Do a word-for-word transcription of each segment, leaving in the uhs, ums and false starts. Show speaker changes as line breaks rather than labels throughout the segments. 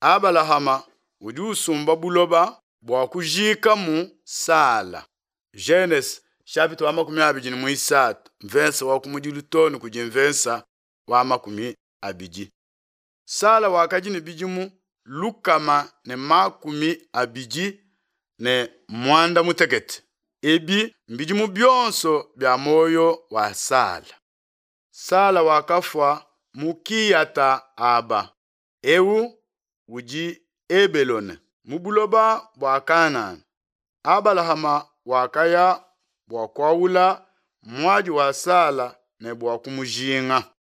Abalahama udi usumba buloba bua kujiikamu Sala. Genese chapitre wa makumi abidi ne muisatu mvensa wa kumudilu too ne kudi mvensa wa makumi abidi. Sala wakadi ne bidimu lukama ne makumi abidi ne muanda mutekete. Ebi mbidimu bionso bia muoyo wa Sala. Sala wakafua mu Kiyata-aba, eu udi Hebelone, mu buloba bua Kanana. Abalahama wakaya bua kuaula muadi wa Sala ne bua kumujinga.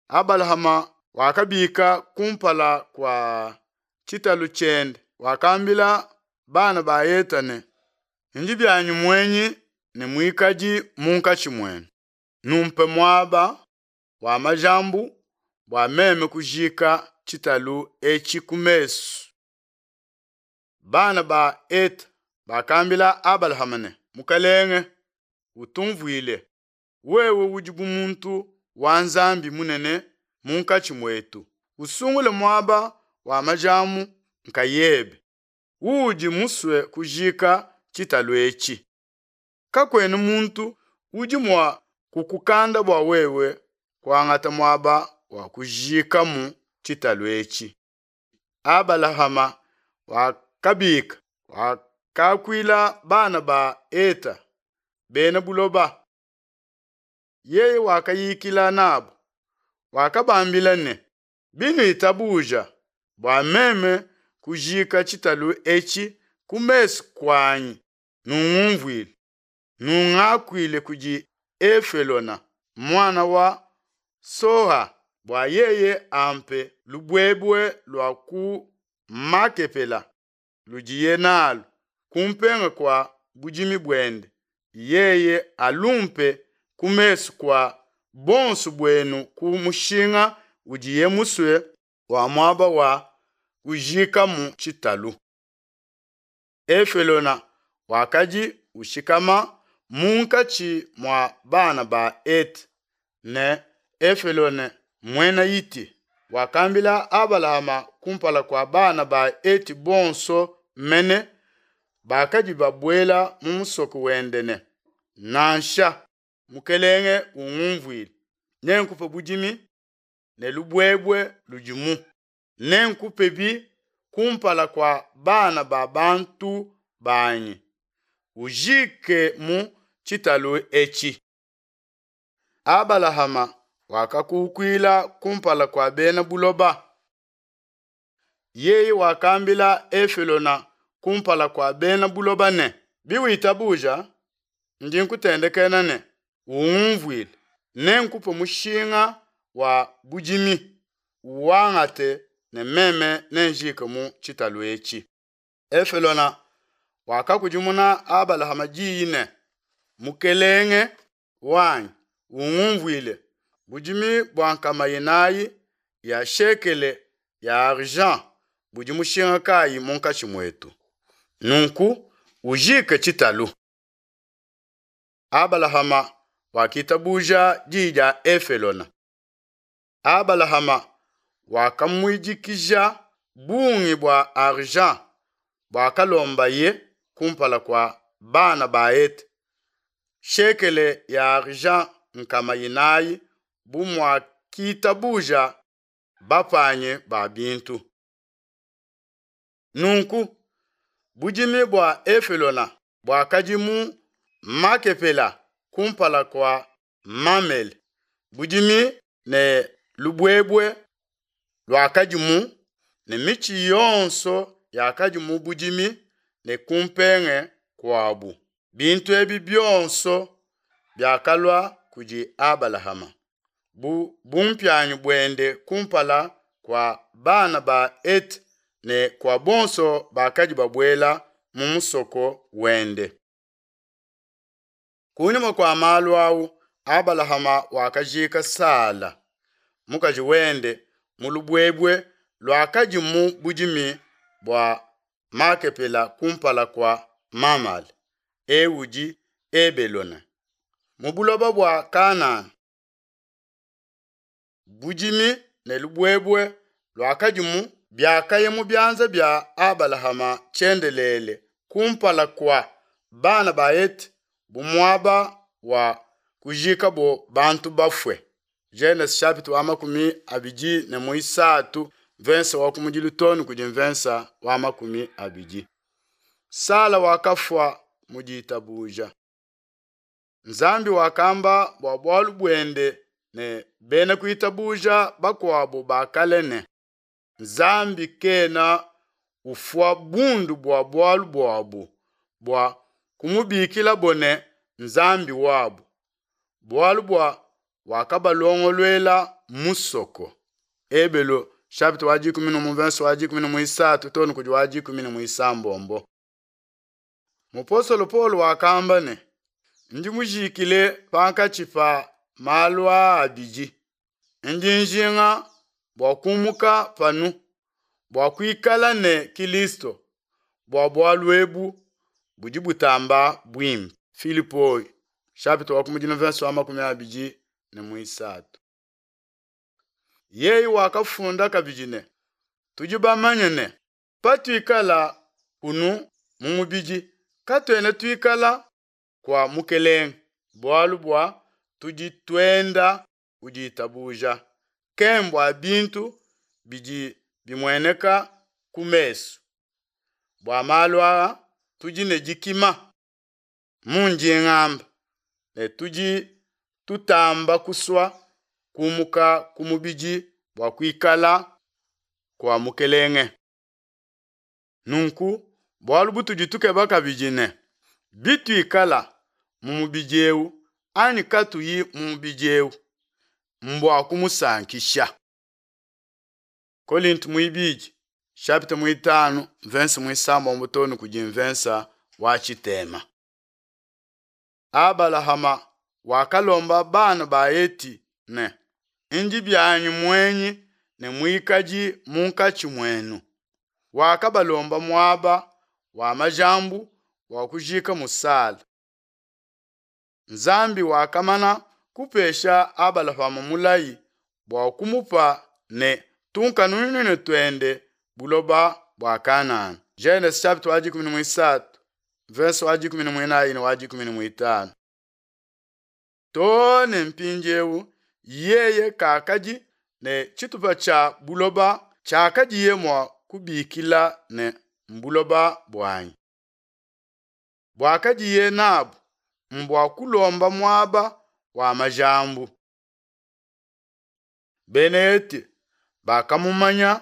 Abalahama wakabika kumpala kua tshitalu tshiende, wakambila bana ba Heta ne, Ndi bianyi muenyi ne muikadi munkatshi muenu. Numpe muaba wa majambu bua meme kujika tshitalu etshi ku mesu. Bana ba Heta bakambila Abalahama ne, Mukalenge, utumvuile, wewe udi bu muntu wa Nzambi munene munkatshi muetu. Usungule muaba wa majambu nkayebe uudi musue kujika tshitalu etshi. Kakuena muntu udi mua kukukanda bua wewe kuangata muaba wa kujiikamu tshitalu etshi. Abalahama wakabika, wakakuila bana ba Heta, bena buloba. Yeye wakayikila nabu, wakabambila ne, Binuitabuja bua meme kujika tshitalu etshi ku mesu kuanyi, nungumvuile, nungakuile kudi Efelona, muana wa Soha, bua yeye ampe lubuebue lua ku Makepela ludiye nalu kumpenga kua budimi buende, yeye alumpe ku mesu kua buonso buenu ku mushinga udiye musue wa muaba wa kujiikamu tshitalu. Efelona wakadi ushikama munkatshi mua bana ba Hete, ne Efelone, Muena Hiti, wakambila Abalahama kumpala kua bana ba Heti bonso mene bakadi babuela mu musoko wende ne, Nansha, mukelenge ungumvuile, nenkupe budimi ne lubuebue ludimu, nenkupebi kumpala kua bana ba bantu banyi, ujikemu tshitalu etshi. Abalahama wakakukuila kumpala kua bena buloba. Yeye wakambila Efelona kumpala kua bena buloba ne, Biwitabuja, ndi nkutendekena ne, Ungumvuile, nenkupe mushinga wa budimi, uwangate ne meme nenjiikemu tshitalu etshi. Efelona wakakudimuna Abalahama diyi ne, Mukelenge wanyi, ungumvuile, budimi bua nkama inayi ya shekele ya argent budi mushinga kayi munkatshi muetu? Nunku ujike tshitalu. Abalahama wakitabuja diyi dia Efelona. Abalahama wakamuidikija bungi bua argent buakalombaye kumpala kua bana ba Hete, shekele ya argent nkama inayi bu muakitabuja bapanyi ba bintu. Nunku budimi bua Efelona buakadi mu Makepela kumpala kua Mamele, budimi ne lubuebue luakadimu ne mitshi yonso yakadi mu budimi ne kumpenge kuabu. Bintu ebi bionso biakalua kudi Abalahama bu bumpianyi buende kumpala kua bana ba Hete ne kua bonso bakadi babuela mu musoko wende. Kunyima kua malu au Abalahama wakajika Sala, mukaji wende, mu lubuebue luakadi mu budimi bua Makepela kumpala kua Mamale, eu udi Hebelone, mu buloba bua Kanana. Budimi ne lubuebue luakadimu biakaya mu bianza bia Abalahama tshiendelele kumpala kua bana ba Hete bu muaba wa kujikabo bantu bafue. Genese chapitre wa makumi abidi ne muisatu verse wa kumudilu too ne kudi mvensa wa makumi abidi. Sala wakafua mu ditabuja. Nzambi wakamba bua bualu buende ne bena kuitabuja bakuabo ba kale ne, Nzambi kena ufua bundu bua bualu buabu bua kumubikilabo ne Nzambi wabu, bualu bua wakabalongoluela musoko. Ebelo chapitre wa dikumi ne umue verse wa dikumi ne muisatu too ne kudi wa dikumi ne muisambombo. Mupostolo Paulo wakamba ne, ndi mujikile pankatshi pa malu aa abidi. Ndi njinga bua kumuka panu bua kuikala ne Kilisto bua bualu ebu budi butamba buimpe. Filipo chapitre wa kumi na verse wa makumi abidi ne muisatu. Yeye wakafunda kabidi ne, tudi bamanye ne patuikala kunu mu mubidi katuena tuikala kua mukelenge, bualu bua tudi tuenda kuditabuja, kembua bintu bidi bimueneka ku mesu. Bua malu aa tudi ne dikima mundi ngamba ne tudi tutamba kusua kumuka ku mubidi bua kuikala kua mukelenge. Nunku bualu butudi tukeba kabidi ne bituikala mu mubidi eu anyi katuyi mu mubidi eu mbua kumusankisha. Kolinto muibidi chapitre muitanu verse muisambombo too ne kudi mvensa wa tshitema. Abalahama wakalomba bana ba Heti ne ndi bianyi muenyi ne muikadi munkatshi muenu. Wakabalomba muaba wa majambu wa kujika musala. Nzambi wakamana kupesha Abalahama mulayi bua kumupa ne tunkanunune tuende buloba bua Kanana. Genese chapitre wa dikumi ne muisatu verse wa dikumi ne muinayi ne wa dikumi ne muitanu. Too ne mpindiewu yeye kakadi ne tshitupa tshia buloba tshiakadiye mua kubikila ne mbuloba buanyi. Buakadiye nabu mbua kulomba muaba wa majambu. Bena Heti bakamumanya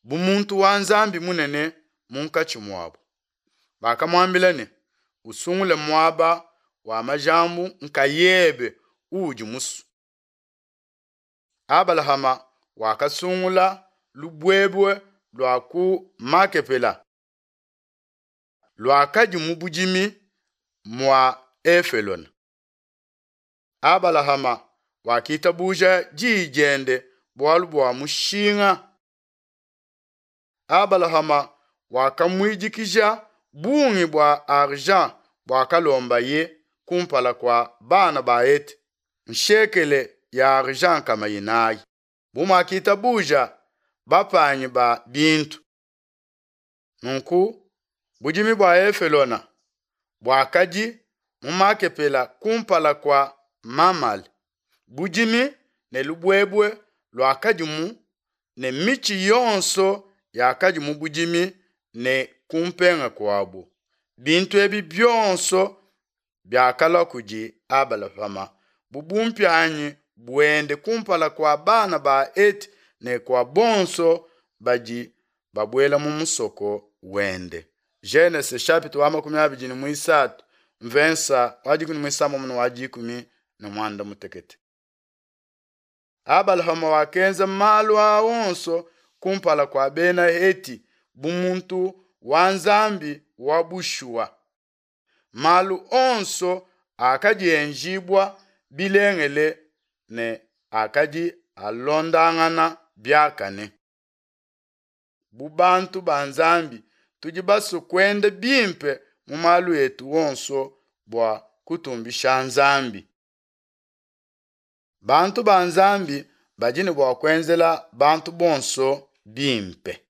bu muntu wa Nzambi munene munkatshi muabu. Bakamuambila ne, usungule muaba wa majambu nkayebe uudi musue. Abalahama wakasungula lubuebue lua ku Makepela luakadi mu budimi mua Efelona. Abalahama wakitabuja diyi diende bualu bua mushinga. Abalahama wakamuidikija bungi bua argent buakalombaye kumpala kua bana ba Heti, nshekele ya argent nkama inayi. Bu muakitabuja bapanyi ba bintu. Nunku budimi bua Efelona buakadi mu Makepela kumpala kua Mamale. Budimi ne lubuebue luakadimu ne mitshi yonso yakadi mu budimi ne kumpenga kuabu. Bintu ebi bionso biakalua kudi Abalahama bu bumpianyi buende kumpala kua bana ba Heti ne kua bonso badi babuela mu musoko wende. Genese chapitre wa makumi abidi ne muisatu mvensa wa dikumi ne muisambombo ne wa dikumi ne muanda mutekete. Abalahama wakenza malu aa onso kumpala kua bena Heti bu muntu wa Nzambi wa bushuwa. Malu onso akadi enjibua bilengele ne akadi alondangana biakane. Bu bantu ba Nzambi tudi basue kuenda bimpe mu malu etu onso bua kutumbisha Nzambi. Bantu ba Nzambi badi ne bua kuenzela bantu bonso bimpe.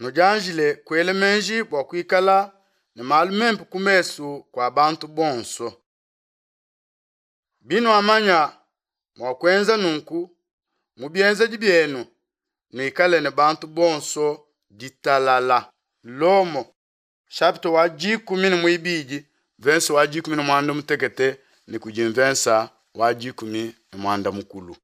Nudianjile kuela meji bua kuikala ne malu mempe ku mesu kua bantu bonso. Binuamanya mua kuenza nunku mu bienzedi bienu, nuikale ne bantu bonso ditalala. Lomo chapitre wa dikumi ne muibidi verse wa dikumi ne muanda mutekete ne kudi mvensa wa dikumi ne muanda mukulu.